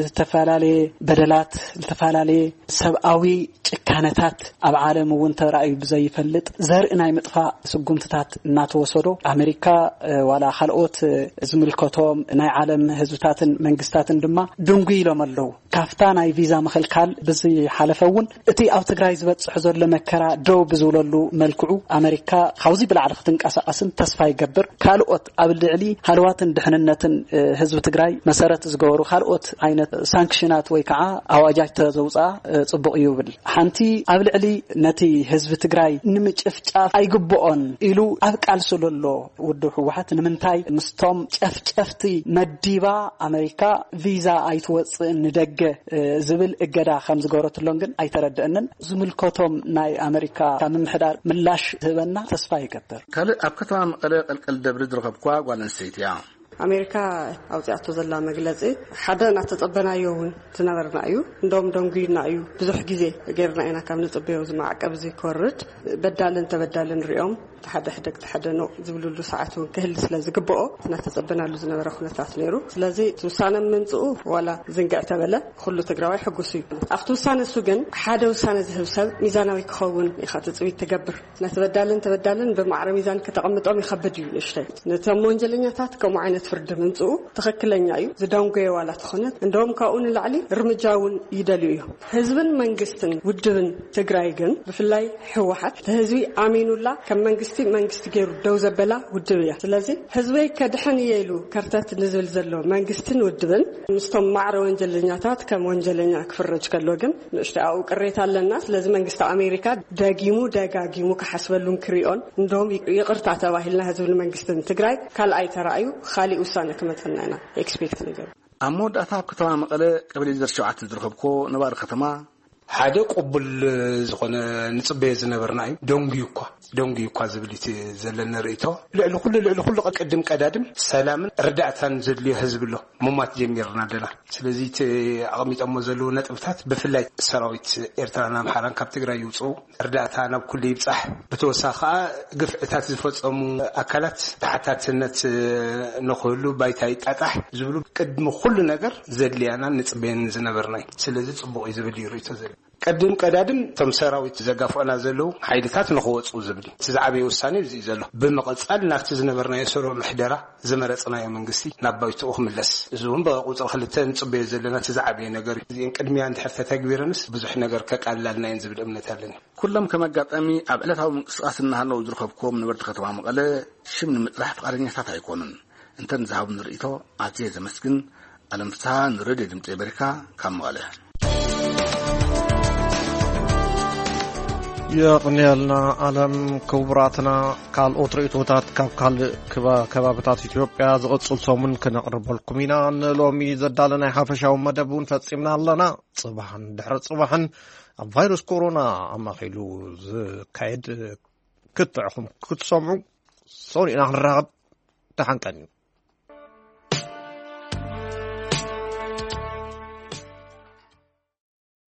ዝተፈላለየ በደላት፣ ዝተፈላለየ ሰብኣዊ ጭካነታት ኣብ ዓለም እውን ተራእዩ ብዘይፈልጥ ዘርኢ ናይ ምጥፋእ ስጉምትታት እናተወሰዶ ኣመሪካ፣ እ፣ ዋላ ካልኦት፣ እ፣ ዝምልከቶም ናይ ዓለም ህዝብታትን መንግስታትን ድማ ድንጉ ኢሎም ኣለዉ። ካፍታ ናይ ቪዛ ምኽልካል ብዝሓለፈ እውን እቲ ኣብ ትግራይ ዝበፅሕ ዘሎ መከራ ደው ብዝብለሉ መልክዑ ኣመሪካ ካብዚ ብላዕሊ ክትንቀሳቐስን ተስፋ ይገብር። ካልኦት ኣብ ልዕሊ ሃለዋትን ድሕንነትን፣ እ፣ ህዝቢ ትግራይ መሰረት ዝገበሩ ካልኦት ዓይነት ሳንክሽናት ወይ ከዓ ኣዋጃት ተዘውፅኣ፣ እ፣ ፅቡቕ እዩ ይብል። ሓንቲ ኣብ ልዕሊ ነቲ ህዝቢ ትግራይ ንምጭፍጫፍ ኣይግብኦን ኢሉ ኣብ ቃልሲ ዘሎ ውድብ ህወሓት ንምንታይ ምስቶም ጨፍጨፍቲ መዲባ ኣመሪካ ቪዛ ኣይትወፅእን ንደገ፣ እ፣ ዝብል እገዳ ከም ዝገበረትሎም ግን ኣይተረድአንን። ዝምልከቶም ናይ ኣመሪካ ምምሕዳር ምላሽ ዝህበና ተስፋ ይገብር። ካልእ ኣብ ከተማ መቐለ ቀልቀል ደብሪ ዝረኸብኩዋ ጓል ኣንስተይቲ እያ። ኣሜሪካ ኣውፅኣቶ ዘላ መግለፂ ሓደ እናተፀበናዮ እውን ዝነበርና እዩ። እንደውም ደንጉይና እዩ። ብዙሕ ግዜ ጌርና ኢና ካብ ንፅበዮ እዚ ማዕቀብ እዚ ክወርድ። በዳልን ተበዳልን ሪኦም እቲ ሓደ ሕደግ እቲ ሓደ ነው ዝብልሉ ሰዓት እውን ክህል ስለ ዝግብኦ እናተፀበናሉ ዝነበረ ኩነታት ነይሩ። ስለዚ እቲ ውሳነ ምምፅኡ ዋላ ዝንግዕ ተበለ ኩሉ ትግራዋይ ሕጉስ እዩ። ኣብቲ ውሳነ እሱ ግን ሓደ ውሳነ ዝህብ ሰብ ሚዛናዊ ክኸውን ኢኻ ትፅቢት ትገብር። ነቲ በዳልን ተበዳልን ብማዕረ ሚዛን ከተቐምጦም ይኸብድ እዩ ንእሽተይ። ነቶም ወንጀለኛታት ከምኡ ዓይነት ፍርዲ ምምፅኡ ትኽክለኛ እዩ። ዝደንጎየ ዋላ ተኾነ እንደውም ካብኡ ንላዕሊ እርምጃ እውን ይደልዩ እዮም። ህዝብን መንግስትን ውድብን ትግራይ ግን ብፍላይ ህወሓት እቲ ህዝቢ ኣሚኑላ ከም መንግስቲ መንግስቲ ገይሩ ደው ዘበላ ውድብ እያ። ስለዚ ህዝበይ ከድሕን እየ ኢሉ ከርተት ንዝብል ዘሎ መንግስትን ውድብን ምስቶም ማዕረ ወንጀለኛታት ከም ወንጀለኛ ክፍረጅ ከሎ ግን ንእሽተይ ኣብኡ ቅሬታ ኣለና። ስለዚ መንግስቲ ኣሜሪካ ደጊሙ ደጋጊሙ ክሓስበሉን ክሪኦን፣ እንደውም ይቅ-፣ ይቕርታ ተባሂልና ህዝብን መንግስትን ትግራይ ካልኣይ ተራእዩ ካሊእ ውሳነ ክመፀና ኢና ኤክስፔክት ንገብር። ኣብ መወዳእታ ኣብ ከተማ መቐለ ቀበሌ ዘር ሸውዓተ ዝረኸብኮ ነባሪ ከተማ ሓደ ቅቡል ዝኾነ ንጽበዮ ዝነበርና እዩ። ደንጉዩ እኳ፣ ደንጉዩ እኳ ዝብል እቲ ዘለኒ ርእይቶ። ልዕሊ ኩሉ፣ ልዕሊ ኩሉ ቅድም ቀዳድም ሰላምን ርዳእታን ዘድልዮ ህዝቢ ኣሎ። ምሟት ጀሚርና ኣለና። ስለዚ እቲ ኣቐሚጦሞ ዘለዉ ነጥብታት ብፍላይ ሰራዊት ኤርትራን ኣምሓራን ካብ ትግራይ ይውጽኡ፣ እርዳእታ ናብ ኩሉ ይብጻሕ፣ ብተወሳኺ ከኣ ግፍዕታት ዝፈጸሙ ኣካላት ተሓታትነት ንኽህሉ ባይታ ይጣጣሕ ዝብሉ ቅድሚ ኩሉ ነገር ዘድልያናን ንጽበየን ዝነበርና እዩ። ስለዚ ጽቡቕ እዩ ዝብል እዩ ርእይቶ ዘሎ። ቅድም ቀዳድም እቶም ሰራዊት ዘጋፍዑና ዘለዉ ሓይልታት ንኽወጽኡ ዝብል እዩ። እቲ ዝዓበየ ውሳኔ እዚ እዩ ዘሎ። ብምቕጻል ናብቲ ዝነበርናዮ ስሩዕ ምሕደራ ዝመረጽናዮ መንግስቲ ናብ ባይትኡ ክምለስ። እዚ እውን ብቁጽሪ ክልተ ንጽበዮ ዘለና እቲ ዝዓበየ ነገር እዩ። እዚአን ቅድሚያ እንድሕር ተተግቢረንስ ብዙሕ ነገር ከቃልላልና እየን ዝብል እምነት ኣለኒ። ኩሎም ከም ኣጋጣሚ ኣብ ዕለታዊ ምንቅስቓስ እናሃለዉ ዝረኸብኩዎም ነበርቲ ከተማ መቐለ ሽም ንምጥራሕ ፍቓደኛታት ኣይኮኑን። እንተ ንዝሃቡኒ ርእይቶ ኣዝየ ዘመስግን። ኣለም ፍስሃ ንሬድዮ ድምፂ ኣሜሪካ ካብ መቐለ። የቕንየልና ኣለም። ክቡራትና፣ ካልኦት ርእይቶታት ካብ ካልእ ክባ- ከባብታት ኢትዮጵያ ዝቕጽል ሰሙን ክነቕርበልኩም ኢና። ንሎሚ ዘዳለናይ ሓፈሻዊ መደብ እውን ፈጺምና ኣለና። ጽባሕን ድሕሪ ጽባሕን ኣብ ቫይረስ ኮሮና ኣማኺሉ ዝካየድ ክትዕኹም ክትሰምዑ ሰኒእና ክንራኸብ ተሓንቀን እዩ።